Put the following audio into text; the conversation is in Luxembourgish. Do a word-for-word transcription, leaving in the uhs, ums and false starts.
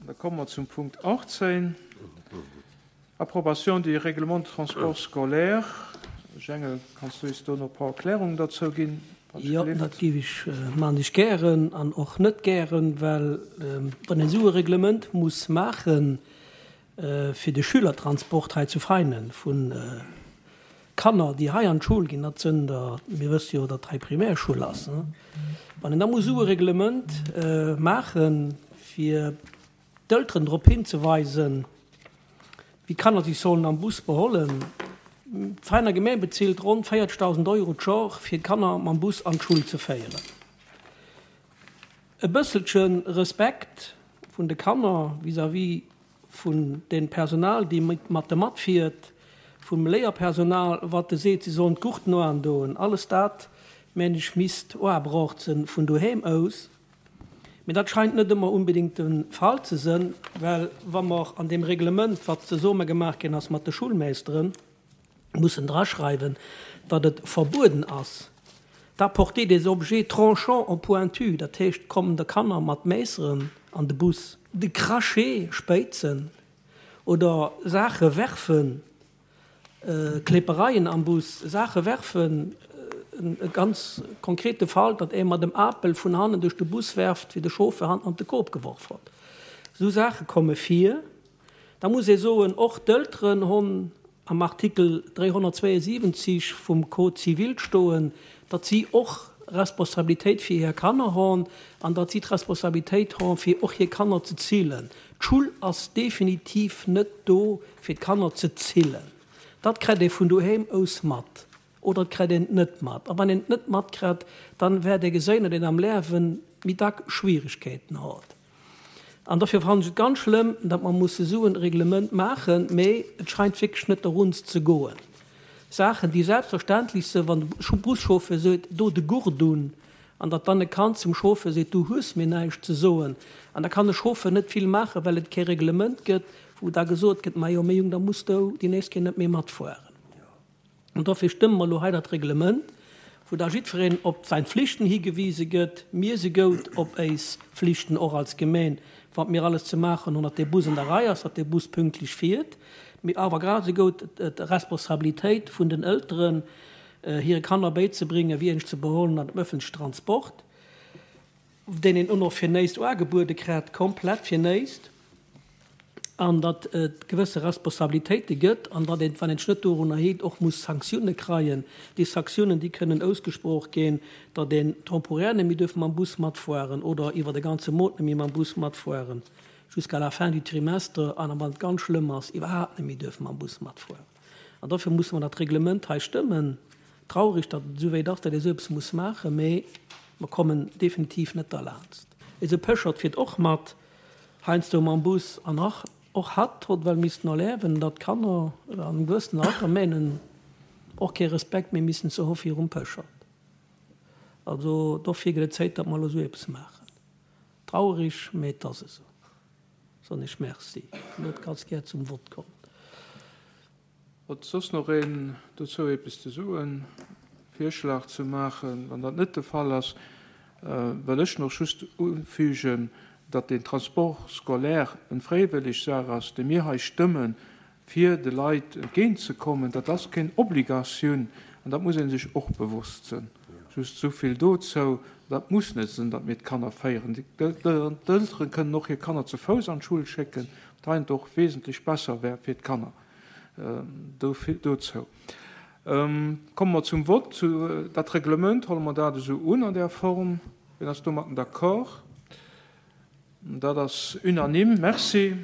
Da komme mer zum Punkt achtzéng, Approbation du Règlement de transport scolaire. Jengel, kanns du eis do nach e paar Erklärungen dozou ginn? Jo, dat géif ech, maan ech gären an och net gären, well wann een esou e Reglement muss maachen fir de Schülertransport hei zu Veinen vu Kanner, déi hei an d'Schoul ginn, dat sënn der, mir wësse jo, datt hei Primärschoul ass, wann een da muss esou e Reglement maachen, fir d'Elteren drop hinzeweisen, wéi d'Kanner sech sollen am Bus behollen. D'Veiner Gemeng bezilt ronn véierzegdausend Euro d'Jor, fir d'Kanner mam Bus an d'Schull ze féieren. E bësselche Respekt vun de Kanner vis-à-vis vun dem Personal, déi mat de matfiert, vum Léierpersonal, wat de seet, si sollen d'Gurten oandoen, alles dat, mengen ech, misst oabraucht sënn vun doheem aus. Mee dat scheint net ëmmer unbedingt de Fall ze sënn, well wa mer an deem Reglement, wat zesumme gemaach ginn ass mat de Schulmeeschteren, mussen draschreiwen, datt et verbueden ass, d'apporter des objets tranchants ou pointus, dat heescht, kommen de Kanner mat Meesseren an de Bus, de Crachet spéizen oder Saache werfen, Kläppereien am Bus, Saache werfen, e ganz konkrete Fall, datt ee mat em Apel vun hannen duerch de Bus werft, wéi de Chauffeur hannen an de Koob geworf hott. Esou Saache komme vir. Da muss ee soen, och d'Elteren honn am Artikel dräihonnertzwéiesiwwenzig vum Code civil stoen, datt si och Responsabilitéit fir hir Kanner honn an datt si d'Responsabilitéit honn, fir och hir Kanner ze zillen. D'Schull ass definitiv net do, fir d'Kanner ze zillen. Dat kritt ee vun doheem aus mat oder et kritt een et net mat. A wann een et net matkritt, dann wäert ee geséien, datt een am Liewen méi dack Schwieregkeeten hott. An dofir fannen ech et ganz schlëmm, datt mer musse sou en Reglement maachen, mee et scheint wierklech net doruns ze goen. Saachen, déi selbstverständlech sinn, wann de Buschauffeur seet, do de Gurt un, an datt dann e Kand zum Chauffeur seet, du hues mir näischt ze soen, an da kann de Chauffeur net vill maachen, well et kee Reglement gëtt, wou da gesot gëtt, majo, méi Jung, da muss du déi nächst Kéier net méi matfueren. An dofir stëmme mer elo hei dat Reglement, wou da jiddwereen op säin Flichten higewise gëtt. Mir si goud op éis Flichten och als Gemeen, wat mir alles ze maachen hunn, datt dee Bus an der Rei ass, datt dee Bus pünktlech fiert, mee awer grad esou goud d'Responsabilitéit vun den Elteren, hire Kanner béizebréngen, wéi een sech ze behollen an dem öffentlichen Transport, deen een och nach fir néist uagebuede krätt, komplett fir néist, an datt et gewësse Responsabilitéite gëtt an datt een, wann een sech net dorunner heet, och muss Sanktioune kreien. Déi Sanktiounen, déi kënnen ausgesproch ginn, datt een temporär net méi duerf mam Bus matfueren oder iwwer e ganze Mount net méi mam Bus matfueren, jusqu'à la fin du trimestre, an wann et ganz schlëmm ass, iwwerhaapt net méi duerf mam Bus matfueren. An dofir musse mer dat Reglement hei stëmmen. Traurig, datt et esou wéit ass, datt ee esou eppes muss maachen, mee mer kommen definitiv net derlaanst. Eise Péchert fiert och mat, heiansdo mam Bus, an och och hatt hott well missten erliewen, datt d'Kanner an engem gewëssenen Alter menen, och kee Respekt méi missen ze hu virum Péchert. Also dofir gëtt et Zéit, datt mer elo esou eppes maachen. Traurig, mee et ass esou. Soen ech Merci. Elo kanns gär zum Vott kommen. Huet soss nach een dozou eppes ze soen, Virschlag ze maachen? Wann dat net de Fall ass, wëll ech nach just ufügen, datt den Transport scolaire en fräiwëlleg Saach ass, déi mir hei stëmmen, fir de Leit entgéintzekommen. Dat ass keng Obligatioun an dat muss ee sech och bewosst sinn. Just esou vill dozou. Dat muss net sinn, datt mir d'Kanner féieren. D'Eltere kënnen och hir Kanner ze Fouss an d'Schull schécken, wat heiansdo och wesentlech besser wär fir d'Kanner. Dozou komme mer zum Vott. Dat Reglement, huele mer dat esou un an där Form? Wien ass domatten d'accord? Dat ass unanime. Merci.